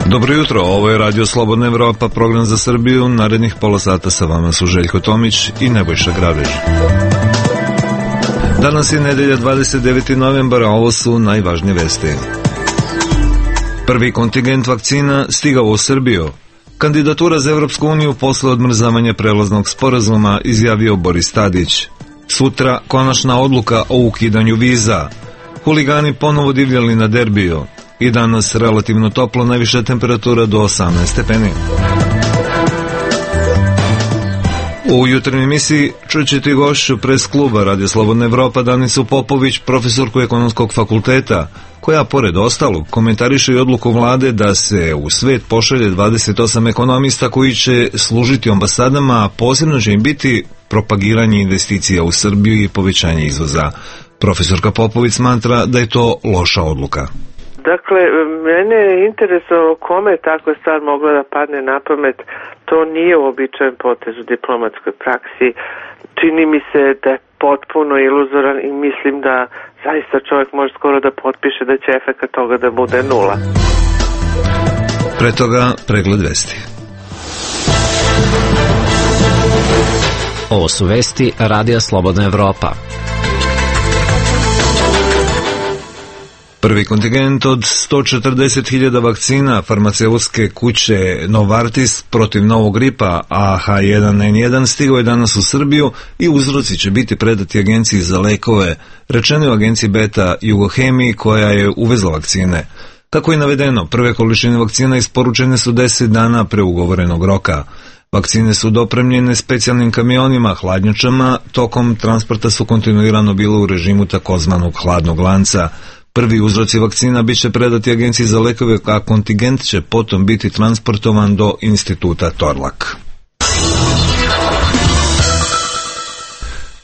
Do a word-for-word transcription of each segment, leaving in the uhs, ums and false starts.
Dobro jutro, ovo je Radio Slobodna Evropa, program za Srbiju. Narednih pola sata sa vama su Željko Tomić i Nebojša Grabež. Danas je nedelja dvadeset deveti novembar, a ovo su najvažnije vesti. Prvi kontingent vakcina stigao u Srbiju. Kandidatura za Evropsku uniju posle odmrzavanja prelaznog sporazuma, izjavio Boris Tadić. Sutra konačna odluka o ukidanju viza. Huligani ponovo divljali na derbiju. I danas relativno toplo, najviša temperatura do osamnaest stepeni. U jutarnjoj emisiji čućete gošću pres kluba Radio Slobodna Evropa Danicu Popović, profesorku ekonomskog fakulteta, koja pored ostalog komentariše i odluku vlade da se u svet pošalje dvadeset osam ekonomista koji će služiti ambasadama, a posebno će im biti propagiranje investicija u Srbiju i povećanje izvoza. Profesorka Popović smatra da je to loša odluka. Dakle, mene je interesovalo kome je takva stvar mogla da padne na pamet. To nije uobičajen potez u diplomatskoj praksi. Čini mi se da je potpuno iluzoran i mislim da zaista čovjek može skoro da potpiše da će efekat toga da bude nula. Pre toga pregled vesti. Ovo su vesti Radija Slobodna Evropa. Prvi kontingent od sto četrdeset hiljada vakcina farmaceutske kuće Novartis protiv novog gripa A H jedan N jedan stigao je danas u Srbiju i uzroci će biti predati Agenciji za lekove, rečeno je u agenciji Beta Jugohemiji koja je uvezla vakcine. Kako je navedeno, prve količine vakcina isporučene su deset dana pre ugovorenog roka. Vakcine su dopremljene specijalnim kamionima, hladnjačama, tokom transporta su kontinuirano bilo u režimu takozvanog hladnog lanca. Prvi uzroci vakcina biće predati Agenciji za lekove, a kontingent će potom biti transportovan do instituta Torlak.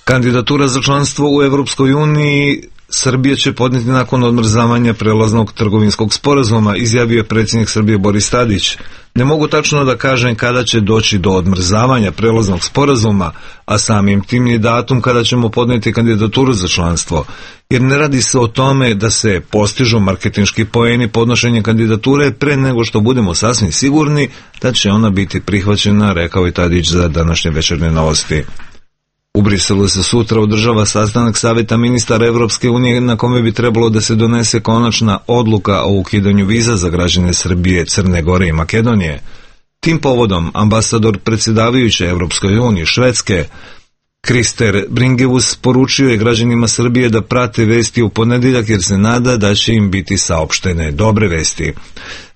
Kandidatura za članstvo u Evropskoj uniji Srbija će podneti nakon odmrzavanja prelaznog trgovinskog sporazuma, izjavio je predsjednik Srbije Boris Tadić. Ne mogu tačno da kažem kada će doći do odmrzavanja prelaznog sporazuma, a samim tim ni datum kada ćemo podneti kandidaturu za članstvo, jer ne radi se o tome da se postižu marketinški poeni podnošenjem kandidature pre nego što budemo sasvim sigurni da će ona biti prihvaćena, rekao je Tadić za današnje večernje novosti. U Briselu se sutra održava sastanak Saveta ministara Evropske unije na kome bi trebalo da se donese konačna odluka o ukidanju viza za građane Srbije, Crne Gore i Makedonije. Tim povodom ambasador predsjedavajuće Evropskoj uniji Švedske Krister Bringeus poručio je građanima Srbije da prate vesti u ponedjeljak jer se nada da će im biti saopštene dobre vesti.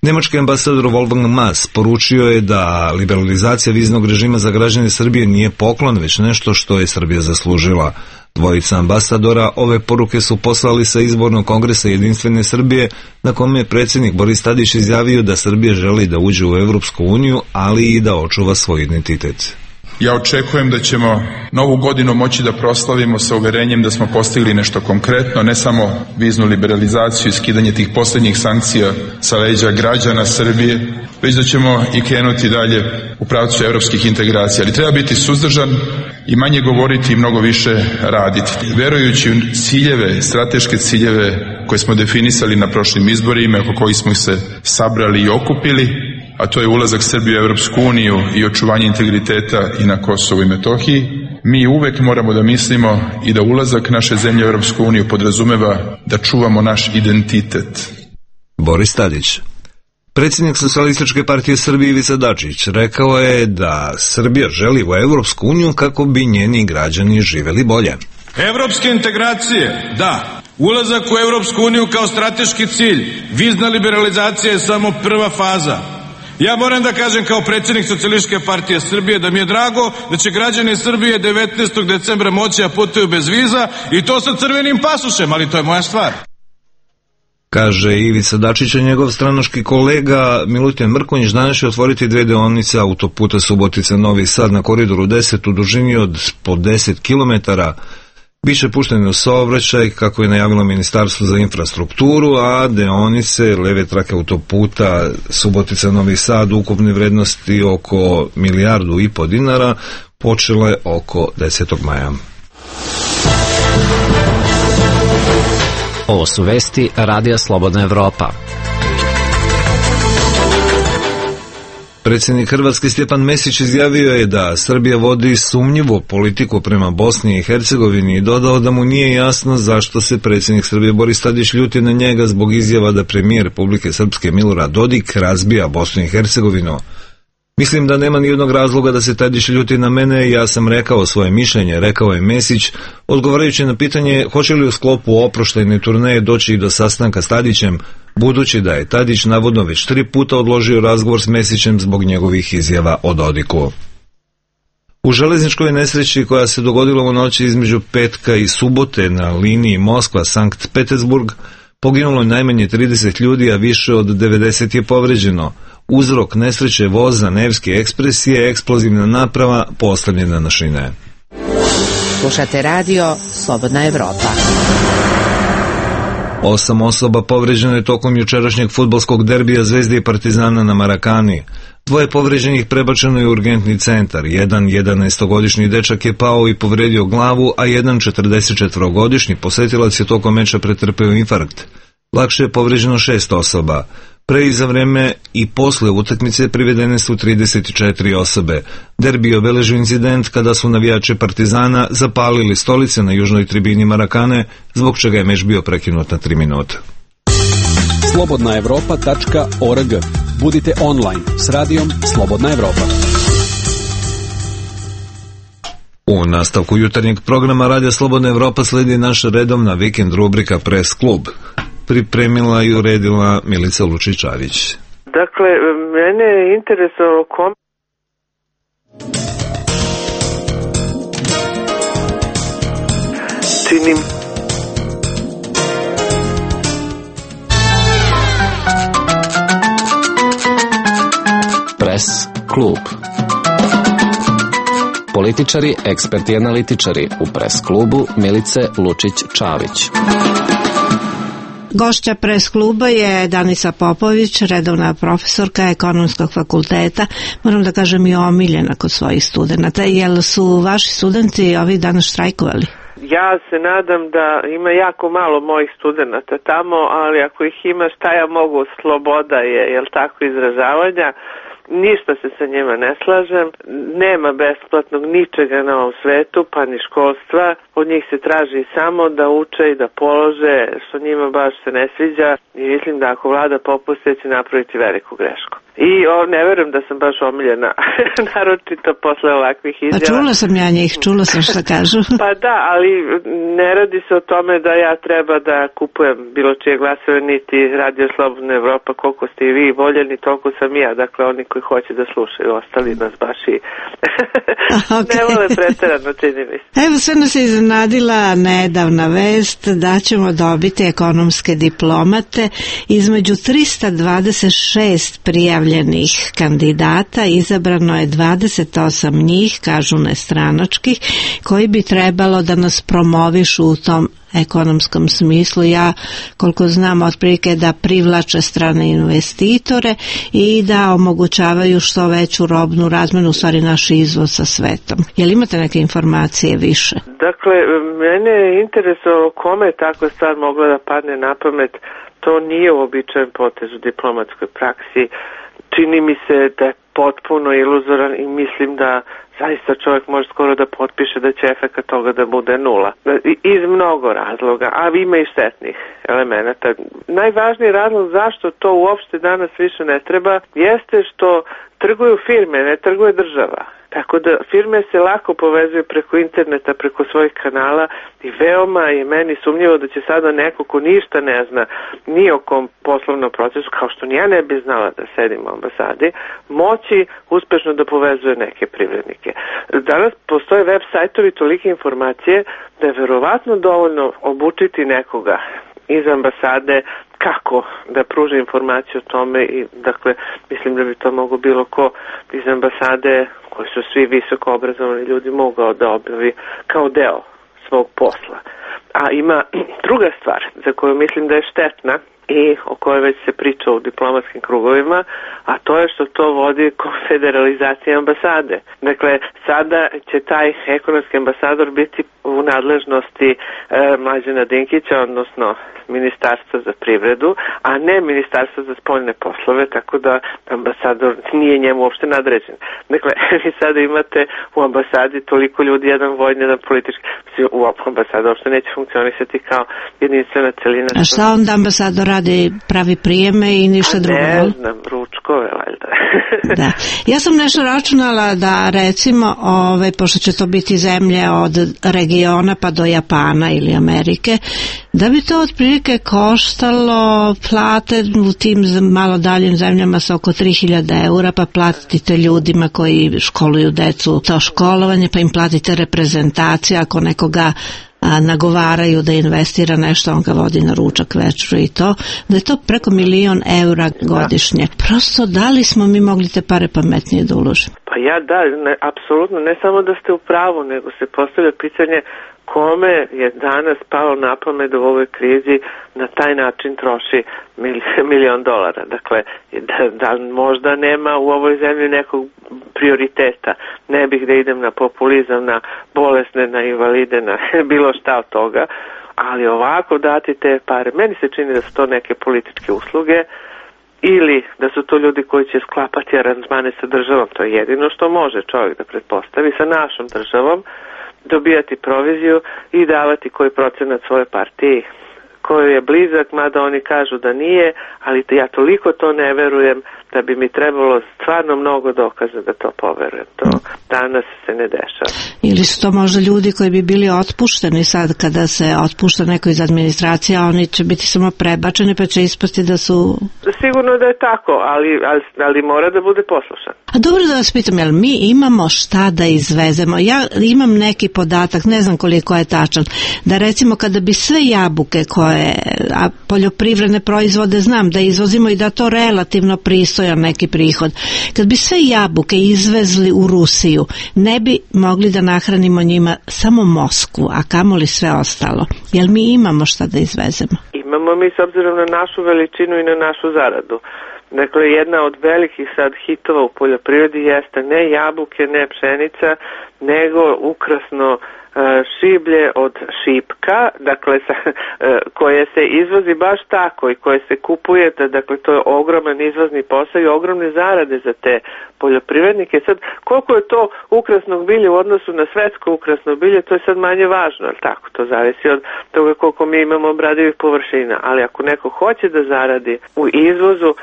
Nemački ambasador Wolfgang Maas poručio je da liberalizacija viznog režima za građane Srbije nije poklon, već nešto što je Srbija zaslužila. Dvojica ambasadora ove poruke su poslali sa izbornog kongresa Jedinstvene Srbije, na kome je predsjednik Boris Tadić izjavio da Srbija želi da uđe u Evropsku uniju, ali i da očuva svoj identitet. Ja očekujem da ćemo novu godinu moći da proslavimo sa uverenjem da smo postigli nešto konkretno, ne samo viznu liberalizaciju i skidanje tih posljednjih sankcija sa leđa građana Srbije, već da ćemo i krenuti dalje u pravcu evropskih integracija. Ali treba biti suzdržan i manje govoriti i mnogo više raditi. Verujući u ciljeve, strateške ciljeve koje smo definisali na prošlim izborima, oko kojih smo se sabrali i okupili, a to je ulazak Srbije u Evropsku uniju i očuvanje integriteta i na Kosovu i Metohiji, mi uvek moramo da mislimo i da ulazak naše zemlje u Evropsku uniju podrazumeva da čuvamo naš identitet. Boris Tadić. Predsjednik Socijalističke partije Srbije Ivica Dačić rekao je da Srbija želi u Evropsku uniju kako bi njeni građani živeli bolje. Evropske integracije, da. Ulazak u Evropsku uniju kao strateški cilj. Vizna liberalizacija je samo prva faza. Ja moram da kažem kao predsjednik Socijalističke partije Srbije da mi je drago da će građani Srbije devetnaestog decembra moći da putuju bez viza i to sa crvenim pasušem, ali to je moja stvar. Kaže Ivica Dačić, njegov stranački kolega Milutin Mrkonjić danas će otvoriti dve deonice autoputa Subotica Novi Sad na koridoru deset u dužini od po deset kilometara. Biće pušteni u saobraćaj, kako je najavilo Ministarstvo za infrastrukturu, a deonice leve trake autoputa Subotica-Novi Sad ukupne vrednosti oko milijardu i po dinara počele oko desetog maja. Ovo su vesti Radija Slobodna Evropa. Predsjednik Hrvatske Stjepan Mesić izjavio je da Srbija vodi sumnjivu politiku prema Bosni i Hercegovini i dodao da mu nije jasno zašto se predsjednik Srbije Boris Tadić ljuti na njega zbog izjava da premijer Republike Srpske Milorad Dodik razbija Bosnu i Hercegovinu. Mislim da nema nijednog razloga da se Tadić ljuti na mene, ja sam rekao svoje mišljenje, rekao je Mesić, odgovarajući na pitanje hoće li u sklopu oproštajne turneje doći i do sastanka s Tadićem, budući da je Tadić navodno već tri puta odložio razgovor s Mesićem zbog njegovih izjava o Dodiku. U železničkoj nesreći koja se dogodila u noći između petka i subote na liniji Moskva-Sankt Petersburg poginulo je najmanje trideset ljudi, a više od devedeset je povređeno. Uzrok nesreće voza Nevski ekspres je eksplozivna naprava postavljena na šine. Slušate radio Slobodna Evropa. Osam osoba povređeno je tokom jučerašnjeg fudbalskog derbija Zvezde i Partizana na Marakani. Dvoje povređenih prebačeno je u urgentni centar. Jedan jedanaestogodišnji dečak je pao i povredio glavu, a jedan četrdesetčetvorogodišnji posetilac je tokom meča pretrpeo infarkt. Lakše je povređeno šest osoba. Pre i za vreme i posle utakmice privedene su trideset četiri osobe. Derbi je obeležio incident kada su navijači Partizana zapalili stolice na južnoj tribini Marakane, zbog čega je meč bio prekinut na tri minuta. slobodna evropa tačka org. Budite online s radijom Slobodna Evropa. U nastavku jutarnjeg programa Radija Slobodna Evropa sledi naša redovna vikend rubrika Press Klub. Pripremila i uredila Milica Lučić-Čavić. Dakle, mene je interesovalo kom... Činim... Press Klub. Političari, eksperti i analitičari u Press Klubu Milice Lučić-Čavić. Gošća Press kluba je Danica Popović, redovna profesorka Ekonomskog fakulteta, moram da kažem i omiljena kod svojih studenta. Jel su vaši studenti ovih dana štrajkovali? Ja se nadam da ima jako malo mojih studenta tamo, ali ako ih ima, šta ja mogu, sloboda je, jel tako, izražavanja. Ništa se sa njima ne slažem, nema besplatnog ničega na ovom svetu, pa ni školstva. Od njih se traži samo da uče i da polože, što njima baš se ne sviđa, i mislim da ako vlada popuste će napraviti veliku grešku. I o, ne verujem da sam baš omiljena, naročito posle ovakvih izjava. Pa čula sam ja njih, čula sam šta kažu. Pa da, ali ne radi se o tome da ja treba da kupujem bilo čije glasove, niti Radio Slobodna Evropa, koliko ste i vi voljeni, toliko sam ja. Dakle, oni koji hoće da slušaju, ostali nas baš i okay. ne vole preterano, čini mi se. Evo, sve nas je iznenadila nedavna vest da ćemo dobiti ekonomske diplomate. Između trista dvadeset šest prijavljenih kandidata izabrano je dvadeset osam njih, kažu nestranačkih, koji bi trebalo da nas promovišu u tom ekonomskom smislu. Ja, koliko znam, otprilike da privlače strane investitore i da omogućavaju što veću robnu razmenu, u stvari naš izvoz sa svetom. Jel imate neke informacije više? Dakle, mene je interesovalo kome je takva stvar mogla da padne na pamet. To nije uobičajen potez u diplomatskoj praksi. Čini mi se da je potpuno iluzoran i mislim da zaista čovjek može skoro da potpiše da će efekat toga da bude nula. Iz mnogo razloga, a ima i štetnih elemenata. Najvažniji razlog zašto to uopšte danas više ne treba jeste što trguju firme, ne trguje država. Tako da firme se lako povezuju preko interneta, preko svojih kanala i veoma je meni sumnjivo da će sada neko ko ništa ne zna ni o kom poslovnom procesu, kao što ni ja ne bi znala da sedim u ambasadi, moći uspešno da povezuje neke privrednike. Danas postoje web sajtovi tolike informacije da je verovatno dovoljno obučiti nekoga iz ambasade kako da pruži informaciju o tome i dakle mislim da bi to mogo bilo ko iz ambasade koji su svi visoko obrazovani ljudi mogao da objavi kao deo svog posla. A ima druga stvar za koju mislim da je štetna i o kojoj već se priča u diplomatskim krugovima, a to je što to vodi konfederalizacija ambasade. Dakle, sada će taj ekonomski ambasador biti u nadležnosti e, Mlađana Dinkića, odnosno Ministarstva za privredu, a ne Ministarstva za spoljne poslove, tako da ambasador nije njemu uopšte nadređen. Dakle, vi sada imate u ambasadi toliko ljudi, jedan vojni, jedan politički, u ambasadu uopšte neće funkcionisati kao jedinstvena celina. A šta onda ambasador radi? Pravi prijeme i ništa drugo? Ne znam, ručkove, valjda. Da. Ja sam nešto računala da recimo, ove, pošto će to biti zemlje od regiona pa do Japana ili Amerike, da bi to otprilike koštalo plate u tim malo daljim zemljama sa oko tri hiljade eura, pa platite ljudima koji školuju decu to školovanje, pa im platite reprezentaciju, ako nekoga a, nagovaraju da investira nešto, on ga vodi na ručak, večeru i to, da je to preko milion eura godišnje. Prosto, da li smo mi mogli te pare pametnije da uložimo? Pa ja da, ne, apsolutno, ne samo da ste u pravu, nego se postavlja pitanje kome je danas palo na pamet da u ovoj krizi na taj način troši milion dolara. Dakle, da, da možda nema u ovoj zemlji nekog prioriteta. Ne bih da idem na populizam, na bolesne, na invalide, na bilo šta od toga, ali ovako dati te pare. Meni se čini da su to neke političke usluge ili da su to ljudi koji će sklapati aranžmane sa državom. To je jedino što može čovjek da pretpostavi, sa našom državom, dobijati proviziju i davati koji procenat svoje partiji koji je blizak, mada oni kažu da nije, ali ja toliko to ne verujem da bi mi trebalo stvarno mnogo dokaza da to poverujem. To danas se ne dešava. Ili su to možda ljudi koji bi bili otpušteni sad kada se otpušta neko iz administracije, a oni će biti samo prebačeni pa će ispasti da su... Sigurno da je tako, ali, ali, ali mora da bude poslušan. A dobro da vas pitam, jel mi imamo šta da izvezemo? Ja imam neki podatak, ne znam koliko je tačan, da recimo kada bi sve jabuke koje, a poljoprivredne proizvode znam da izvozimo i da to relativno pristojan neki prihod, kad bi sve jabuke izvezli u Rusiju, ne bi mogli da nahranimo njima samo Moskvu, a kamoli sve ostalo. Jel mi imamo šta da izvezemo? Imamo mi s obzirom na našu veličinu i na našu zaradu. Dakle, jedna od velikih sad hitova u poljoprivredi jeste ne jabuke, ne pšenica, nego ukrasno šiblje od šipka, dakle sa, koje se izvozi baš tako i koje se kupuje, dakle to je ogroman izvozni posao i ogromne zarade za te poljoprivrednike. Sad, koliko je to ukrasnog bilja u odnosu na svetsko ukrasno bilje, to je sad manje važno, ali tako, to zavisi od toga koliko mi imamo obradivih površina, ali ako neko hoće da zaradi u izvozu,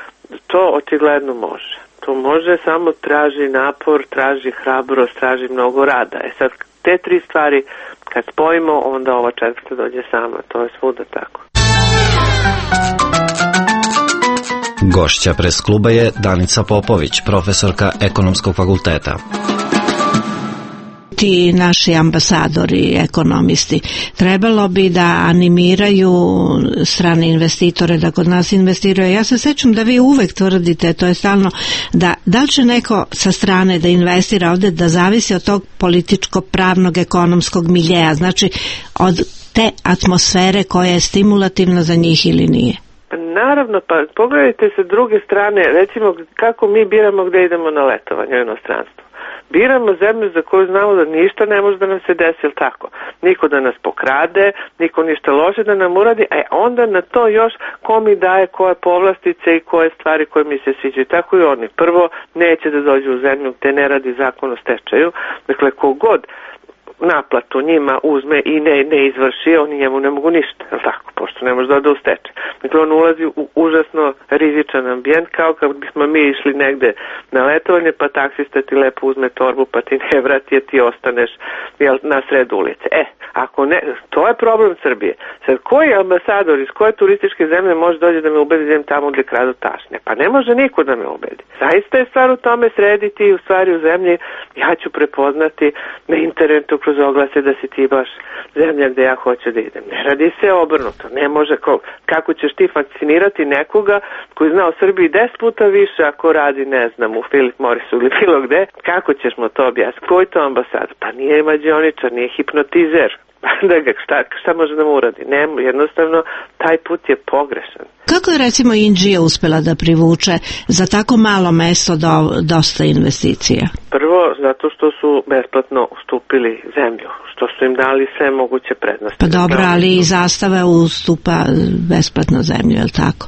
to očigledno može. To može, samo traži napor, traži hrabrost, traži mnogo rada. E sad, te tri stvari kad spojimo, onda ova četvrta dođe sama. To je svuda tako. Gošća Pres kluba je Danica Popović, profesorka Ekonomskog fakulteta. Ti naši ambasadori, ekonomisti, trebalo bi da animiraju strane investitore da kod nas investiraju. Ja se sećam da vi uvek tvrdite, to je stalno, da da li će neko sa strane da investira ovde, da zavisi od tog političko-pravnog ekonomskog miljeja, znači od te atmosfere koja je stimulativna za njih ili nije. Naravno, pa pogledajte sa druge strane, recimo kako mi biramo gde idemo na letovanje u inostranstvo. Biramo zemlju za koju znamo da ništa ne može da nam se desi, ili tako? Niko da nas pokrade, niko ništa loše da nam uradi, a onda na to još ko mi daje koje povlastice i koje stvari koje mi se sviđaju. Tako i oni. Prvo, neće da dođu u zemlju gde ne radi zakon o stečaju. Dakle, kogod naplatu njima uzme i ne, ne izvrši, oni njemu ne mogu ništa, je tako, pošto ne može da ode u stečaj. Dakle, on ulazi u užasno rizičan ambijent, kao kad bismo mi išli negde na letovanje, pa taksista ti lepo uzme torbu, pa ti ne vrati, jer ti ostaneš jel, na sred ulice. E, ako ne, to je problem Srbije. Sad, koji ambasador iz koje turističke zemlje može dođe da me ubedi da idem tamo gde kradu tašne? Pa ne može niko da me ubedi. Zaista je stvar u tome srediti i u stvari u zemlji ja ću prepoznati na internetu kroz oglase da si ti baš zemlja gde ja hoću da idem. Ne radi se obrnuto. Ne može, ko, kako ćeš ti fascinirati nekoga koji zna o Srbiji deset puta više ako radi, ne znam, u Philip Morrisu ili bilo gde, kako ćeš mu to objasniti? Koji to ambasad? Pa nije mađioničar, nije hipnotizer. da ga, šta, šta može da mu uradi? Ne, jednostavno, taj put je pogrešan. Kako je recimo Inđija uspela da privuče za tako malo mesto do, dosta investicija? Prvo, zato što su besplatno ustupili zemlju, što su im dali sve moguće prednosti. Pa dobro, ali i Zastava ustupa besplatno zemlju, je li tako?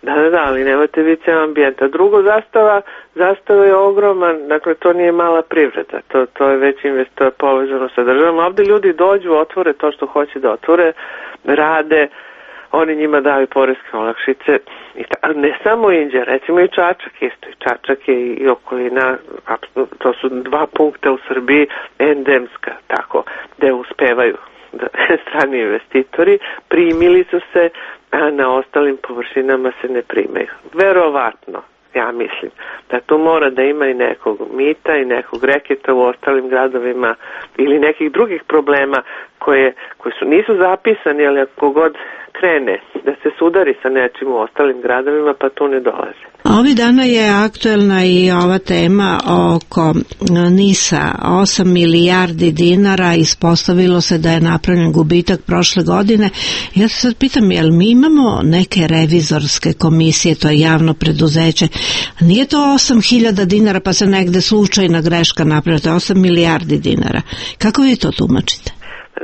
Da, da, da, ali nemate vi ceo ambijent. A drugo, Zastava, Zastava je ogroman, dakle to nije mala privreda, to, to je već investor povezano sa državom. Ovde ljudi dođu, otvore to što hoće da otvore, rade, oni njima daju poreske olakšice, i ta, ne samo Inđija, recimo i Čačak isto, i Čačak je i okolina, to su dva punkta u Srbiji, endemska, tako, gde uspevaju da, strani investitori, primili su se, a na ostalim površinama se ne primaju. Verovatno, ja mislim, da tu mora da ima i nekog mita i nekog reketa u ostalim gradovima ili nekih drugih problema koje, koji su, nisu zapisani, ali ako god krene da se sudari sa nečim u ostalim gradovima, pa tu ne dolaze. Ovi dana je aktuelna i ova tema oko NIS-a, osam milijardi dinara, ispostavilo se da je napravljen gubitak prošle godine. Ja se sad pitam, jel mi imamo neke revizorske komisije, to je javno preduzeće, nije to osam hiljada dinara pa se negde slučajna greška napravila, to je osam milijardi dinara. Kako vi to tumačite?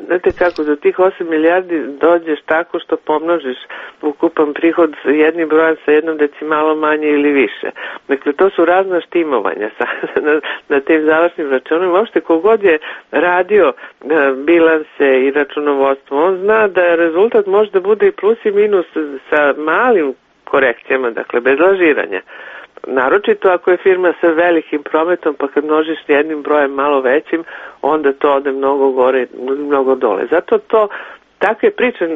Znate kako, do tih osam milijardi dođeš tako što pomnožiš ukupan prihod jednim brojem sa jednom decimalom manje ili više. Dakle, to su razna štimovanja sa, na, na tim završnim računima. Uopšte, kogod je radio bilanse i računovodstvo, on zna da rezultat može da bude i plus i minus sa malim korekcijama, dakle, bez lažiranja. Naročito ako je firma sa velikim prometom, pa kad množiš jednim brojem malo većim, onda to ode mnogo gore, mnogo dole. Zato to, takve priče,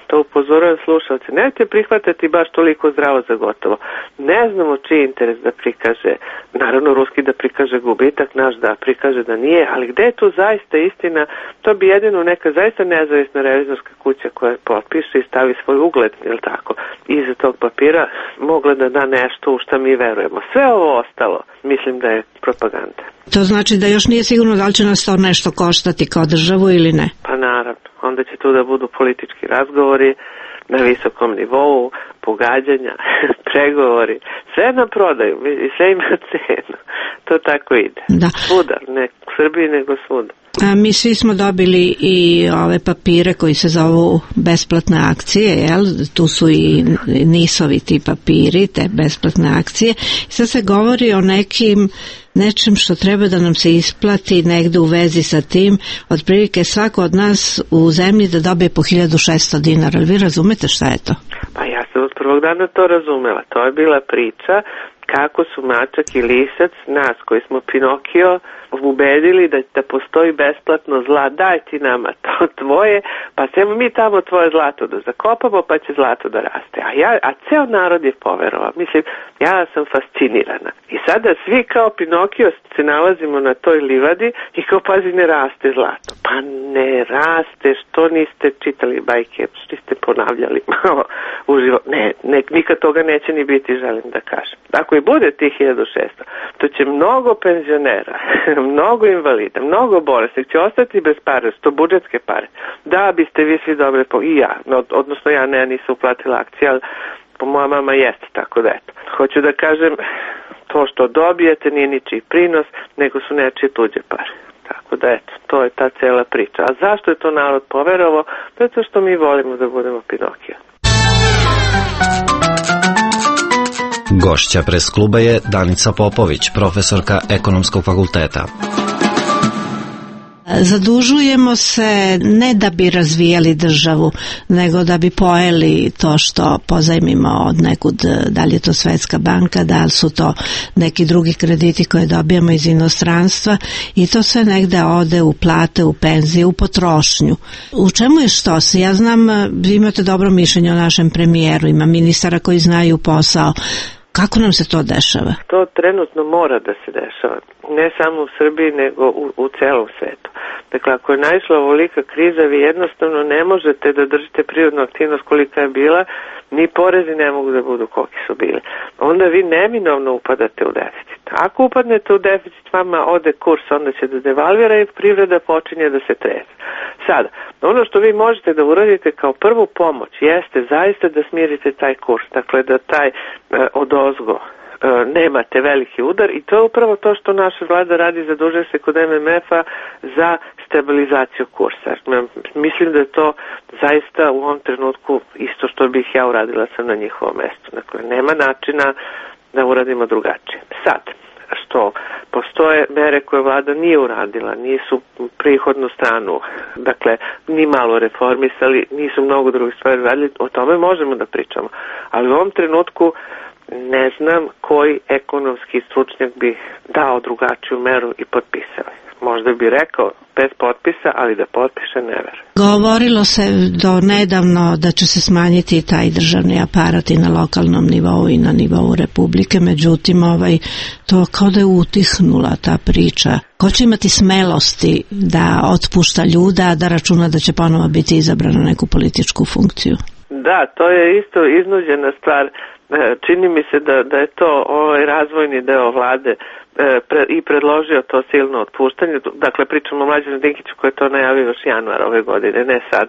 to upozorujem slušalce, nemojte prihvatati baš toliko zdravo za gotovo. Ne znamo čiji interes da prikaže, naravno ruski da prikaže gubitak, naš da prikaže da nije, ali gde je tu zaista istina, to bi jedino neka zaista nezavisna revizorska kuća koja potpiše i stavi svoj ugled, jel tako, iza tog papira mogla da da nešto u šta mi verujemo. Sve ovo ostalo, mislim da je propaganda. To znači da još nije sigurno da li će nas to nešto koštati kao državu ili ne? Pa naravno, onda će tu da budu politički razgovori na visokom nivou, pogađanja, pregovori, sve na prodaju i sve ima cenu. To tako ide. Da. Svuda, ne u Srbiji nego svuda. A mi svi smo dobili i ove papire koji se zovu besplatne akcije, jel? Tu su i nisovi ti papiri, te besplatne akcije. Sad se govori o nekim nečem što treba da nam se isplati negde u vezi sa tim, otprilike svako od nas u zemlji da dobije po hiljadu šesto dinara. Vi razumete šta je to? Pa ja sam od prvog dana to razumela. To je bila priča kako su Mačak i Lisac, nas koji smo Pinokio, ubedili da, da postoji besplatno zla, daj ti nama to tvoje, pa ćemo mi tamo tvoje zlato da zakopamo, pa će zlato da raste. A, ja, a ceo narod je poverovao. Mislim, ja sam fascinirana. I sada svi kao Pinokio se nalazimo na toj livadi i kao pazi ne raste zlato. Pa ne raste, što niste čitali bajke, što niste ponavljali malo uživo. Ne, ne, nikad toga neće ni biti, želim da kažem. Ako i bude tih hiljadu šesto, to će mnogo penzionera, mnogo invalida, mnogo bolesnih će ostati bez pare, sto budžetske pare. Da biste vi svi dobre, po... i ja, odnosno ja ne, nisam uplatila akcije, ali po moja mama jeste, tako da eto. Hoću da kažem, to što dobijete nije ničiji prinos, nego su nečije tuđe pare. Tako da eto, to je ta cela priča. A zašto je to narod poverovao? Zato što mi volimo da budemo Pinokija. Gošća Pres kluba je Danica Popović, profesorka Ekonomskog fakulteta. Zadužujemo se ne da bi razvijali državu, nego da bi pojeli to što pozajmimo od nekud, da li je to Svetska banka, da li su to neki drugi krediti koje dobijamo iz inostranstva i to sve negde ode u plate, u penzije, u potrošnju. U čemu je što se? Ja znam, vi imate dobro mišljenje o našem premijeru, ima ministara koji znaju posao. Kako nam se to dešava? To trenutno mora da se dešava. Ne samo u Srbiji, nego u, u celom svetu. Dakle, ako je naišla ovolika kriza, vi jednostavno ne možete da držite prirodnu aktivnost kolika je bila, ni porezi ne mogu da budu koliki su bili. Onda vi neminovno upadate u deficit. Ako upadnete u deficit, vama ode kurs, onda će da devalvira i privreda počinje da se trese. Sad, ono što vi možete da uradite kao prvu pomoć jeste zaista da smirite taj kurs, dakle da taj e, odozgo e, nemate veliki udar i to je upravo to što naša vlada radi, zadužuje se kod M M F-a za stabilizaciju kursa. Mislim da je to zaista u ovom trenutku isto što bih ja uradila sam na njihovom mestu. Dakle, nema načina da uradimo drugačije. Sad, što postoje mere koje vlada nije uradila, nisu prihodnu stranu, dakle, ni malo reformisali, nisu mnogo drugih stvari radili, o tome možemo da pričamo. Ali u ovom trenutku ne znam koji ekonomski stručnjak bi dao drugačiju meru i potpisao. Možda bi rekao bez potpisa, ali da potpiše ne verujem. Govorilo se do nedavno da će se smanjiti taj državni aparat i na lokalnom nivou i na nivou Republike, međutim ovaj, to kao da je utihnula ta priča. Ko će imati smelosti da otpušta ljuda, da računa da će ponovo biti izabran na neku političku funkciju? Da, to je isto iznuđena stvar. Čini mi se da, da je to ovaj razvojni deo vlade Pre, i predložio to silno otpuštanje. Dakle, pričamo o Mlađanu Dinkiću koji je to najavio još januar ove godine, ne sad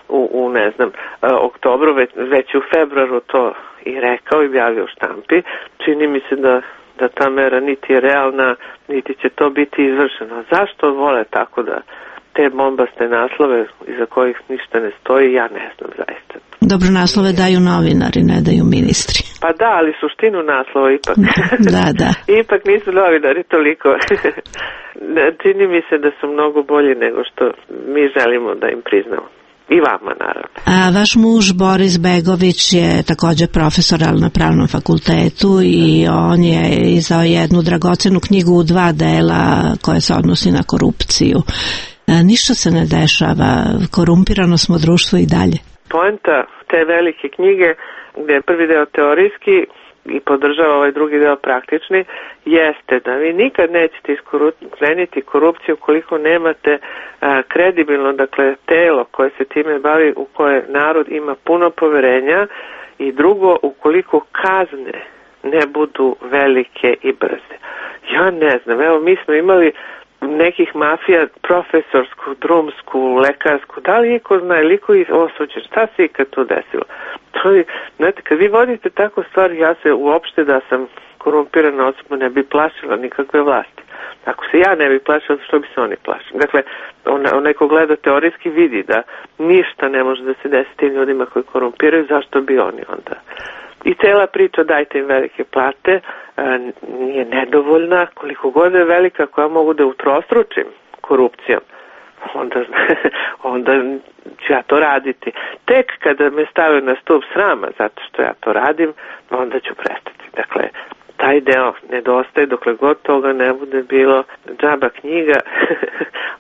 u, u ne znam, oktobru, već, već u februaru to i rekao i objavio u štampi. Čini mi se da, da ta mera niti je realna, niti će to biti izvršeno. Zašto vole tako da te bombaste naslove iza kojih ništa ne stoji, ja ne znam zaista. Dobro, naslove daju novinari, ne daju ministri. Pa da, ali suštinu naslova ipak. Da, da. Ipak nisu novinari toliko. Čini mi se da su mnogo bolji nego što mi želimo da im priznamo. I vama, naravno. A vaš muž Boris Begović je također profesor, ali na pravnom fakultetu i on je izdao jednu dragocenu knjigu u dva dela koja se odnosi na korupciju. Ništa se ne dešava, korumpirano smo društvo i dalje. Poenta te velike knjige, gdje je prvi deo teorijski i podržava ovaj drugi deo praktični, jeste da vi nikad nećete iskreniti korupciju ukoliko nemate a, kredibilno, dakle, telo koje se time bavi, u koje narod ima puno poverenja, i drugo, ukoliko kazne ne budu velike i brze. Ja ne znam, evo mi smo imali nekih mafija, profesorsku, drumsku, lekarsku, da li iko zna, ili iko je osuđen, šta se ikad to desilo? To je, znate, kad vi vodite tako stvari, ja se uopšte da sam korumpirana osoba ne bi plašila nikakve vlasti. Ako se ja ne bi plašila, što bi se oni plašili? Dakle, onaj ko gleda teorijski vidi da ništa ne može da se desi tim ljudima koji korumpiraju, zašto bi oni onda? I cela priča dajte im velike plate nije nedovoljna, koliko god je velika, koja mogu da utrostručim korupcijom, onda, onda ću ja to raditi. Tek kada me stave na stup srama zato što ja to radim, onda ću prestati. Dakle, taj deo nedostaje, dokle god toga ne bude bilo. Džaba knjiga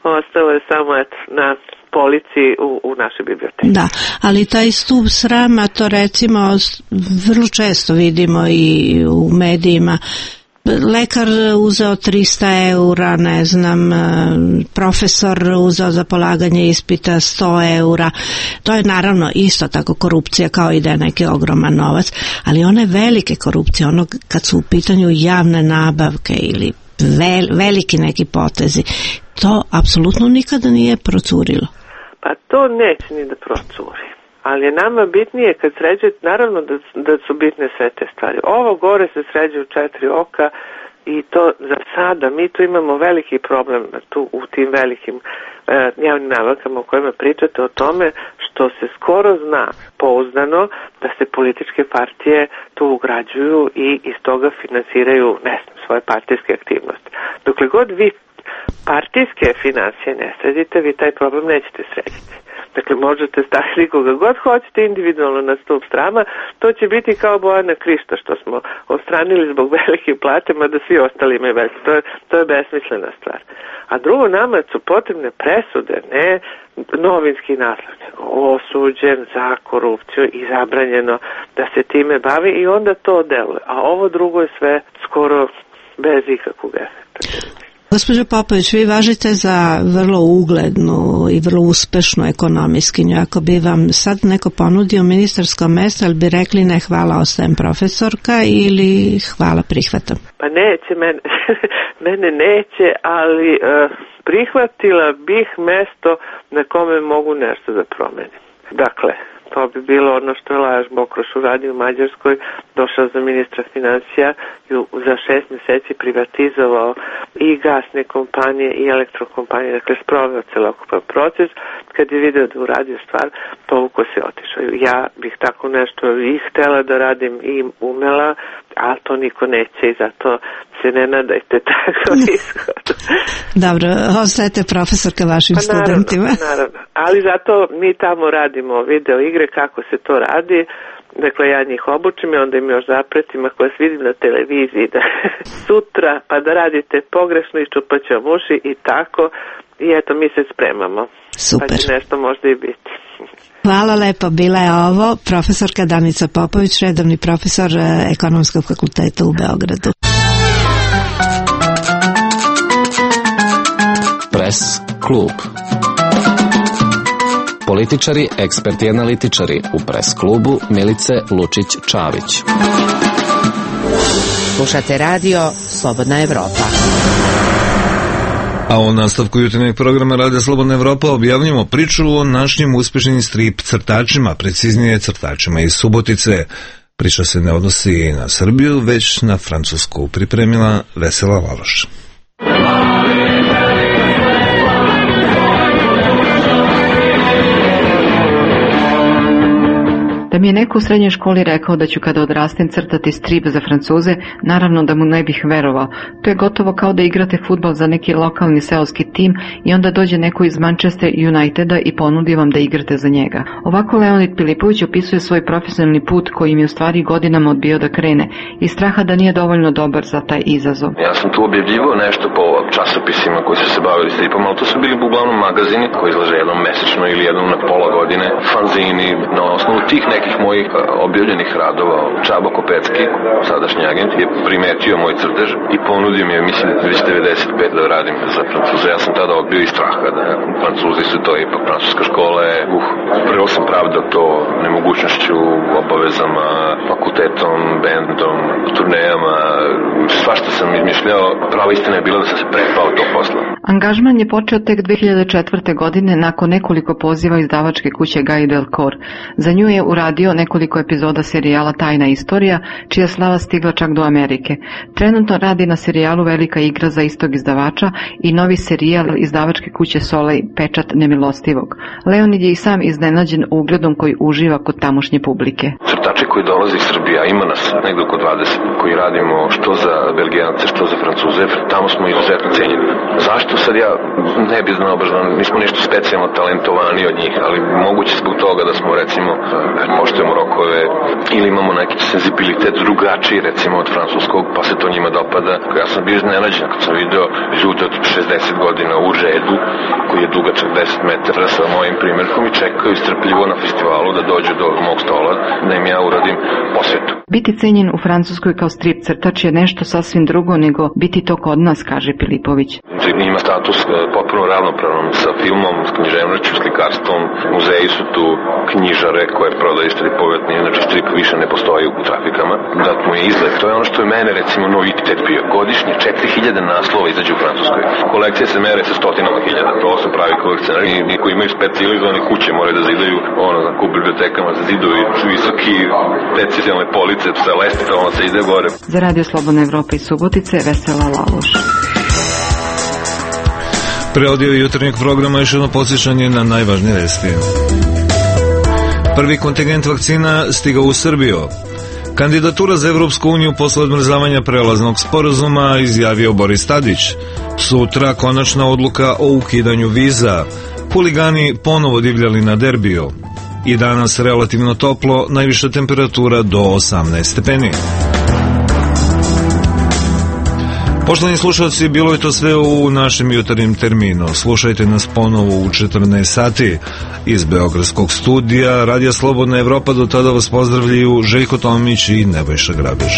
ostalo je samo eto, na polici u, u našoj biblioteki. Da, ali taj stup srama, to recimo vrlo često vidimo i u medijima. Lekar uzeo trista eura, ne znam, profesor uzeo za polaganje ispita sto eura. To je naravno isto tako korupcija kao i da je neki ogroman novac, ali one velike korupcije, ono kad su u pitanju javne nabavke ili vel, veliki neki potezi, to apsolutno nikada nije procurilo. Pa to neće ni da procuri. Ali je nama bitnije kad sređuje, naravno da, da su bitne sve te stvari. Ovo gore se sređuje u četiri oka i to za sada, mi tu imamo veliki problem tu u tim velikim e, javnim nabavkama o kojima pričate, o tome što se skoro zna pouzdano da se političke partije tu ugrađuju i iz toga finansiraju, ne znam, svoje partijske aktivnosti. Dokle god vi partijske financije ne sredite, vi taj problem nećete srediti. Dakle, možete staviti koga god hoćete individualno na stup srama, to će biti kao Bojana Krišta što smo odstranili zbog velike plate, mada svi ostali imaju bez. To je, to je besmislena stvar. A drugo, nama su potrebne presude, ne novinski naslov, nego osuđen za korupciju i zabranjeno da se time bavi i onda to deluje. A ovo drugo je sve skoro bez ikakvog efekta. Gospođo Popović, vi važite za vrlo uglednu i vrlo uspešnu ekonomistkinju. Ako bi vam sad neko ponudio ministarsko mesto, ali bi rekli ne, hvala, ostajem profesorka, ili hvala, prihvatam? Pa neće, mene, mene neće, ali uh, prihvatila bih mesto na kome mogu nešto da promenim. Dakle, to bi bilo ono što je Lajoš Bokroš uradio u Mađarskoj, došao za ministra financija i za šest meseci privatizovao i gasne kompanije i elektrokompanije, dakle sproveo celokupan proces. Kad je video da uradio stvar, toliko se otišao. Ja bih tako nešto i htela da radim i umela, ali to niko neće i zato se ne nadajte tako ishod. Dobro, ostajete profesorka vašim pa naravno, studentima. Naravno, ali zato mi tamo radimo video igre, kako se to radi. Dakle, ja njih obučim i onda im još zapretim ako vas vidim na televiziji da sutra pa da radite pogrešno i čupat ću vam uši i tako. I eto, mi se spremamo. Super. Pa će nešto možda i biti. Hvala lepo, bila je ovo profesorka Danica Popović, redovni profesor Ekonomskog fakulteta u Beogradu. Press klub. Političari, eksperti i analitičari u Press klubu Milice Lučić-Čavić. Slušate radio Slobodna Evropa. A u nastavku jutarnjeg programa Radija Slobodna Evropa objavljamo priču o našim uspešnim strip crtačima, preciznije crtačima iz Subotice. Priča se ne odnosi na Srbiju, već na Francusku. Pripremila Vesela Laloš. Da mi je neko u srednjoj školi rekao da ću kada odrastem crtati strip za Francuze, naravno da mu ne bih verovao. To je gotovo kao da igrate fudbal za neki lokalni seoski tim i onda dođe neko iz Manchester Uniteda i ponudi vam da igrate za njega. Ovako Leonid Pilipović opisuje svoj profesionalni put koji im je u stvari godinama odbio da krene i straha da nije dovoljno dobar za taj izazov. Ja sam tu objavljivao nešto po časopisima koji su se bavili stripom, ali to su bili uglavnom magazini koji izlaže jednom mesečno ili jednom na pola godine, fanzini. Na osnovu tih nekih mojih objavljenih radova Čabo Kopecki, sadašnji agent, je primetio moj crtež i ponudio mi je, mislim, već devedeset pet da radim za Francuze. Ja sam tada odbio iz straha da Francuzi su to ipak francuska škola je, uh, prvo sam pravdao to nemogućnošću, obavezama, fakultetom, bendom, turnejama, svašta sam izmišljao. Prava istina je bila da sam se prepao to posla. Angažman je počeo tek dve hiljade četvrte. godine nakon nekoliko poziva izdavačke kuće Guy Delcourt. Za nju je uradio nekoliko epizoda serijala Tajna istorija, čija slava stigla čak do Amerike. Trenutno radi na serijalu Velika igra za istog izdavača i novi serijal izdavačke kuće Soleil, Pečat nemilostivog. Leonid je i sam iznenađen ugledom koji uživa kod tamošnje publike. Crtači koji dolaze iz Srbije, ima nas negdje oko dvadeset, koji radimo što za Belgijance, što za Francuze, tamo smo izuzetno cenjeni. Zašto sad ja ne bi znao baš, nismo ništa specijalno talentovani od njih, ali moguće zbog toga da smo recimo poštujemo rokove ili imamo neki senzibilitet drugačiji recimo od francuskog, pa se to njima dopada. Ja sam bio iznenađen kad sam video ljude od šezdeset godina u redu koji je dugačak deset metara sa mojim primjerkom i čekaju strpljivo na festivalu da dođu do mog stola da im ja uradim posvetu. Biti cenjen u Francuskoj kao strip crtač je nešto sasvim drugo nego biti to kod nas, kaže Pilipović. Ima status potpuno ravnopravan sa filmom, s književnošću, slikarstvom. Muzeji su tu, knjižare koje prodaju stripove, znači strip više ne postoji u trafikama. Dat mu je izgled. To je ono što je mene recimo novitet bio. Godišnje četiri hiljade naslova izađe u Francuskoj. Kolekcije se mere sa stotinama hiljada. To su pravi kolekcionari i koji imaju specijalizovane kuće moraju da zidaju ono, u bibliotekama za zidovi visoki specijalne police sa lesticama se ide gore. Za Radio Slobodna Evropa iz Subotice, Vesela Laloš. Pre odjave jutarnjeg programa još jedno podsjećanje na najvažnije vesti. Prvi kontingent vakcina stigao u Srbiju. Kandidatura za Evropsku uniju posle odmrzavanja prelaznog sporazuma izjavio Boris Tadić. Sutra konačna odluka o ukidanju viza. Huligani ponovo divljali na derbiju. I danas relativno toplo, najviša temperatura do osamnaest stepeni. Poštovani slušalci, bilo je to sve u našem jutarnjem terminu. Slušajte nas ponovo u četrnaest sati iz Beogradskog studija Radija Slobodna Evropa. Do tada vas pozdravljaju Željko Tomić i Nebojša Grabež.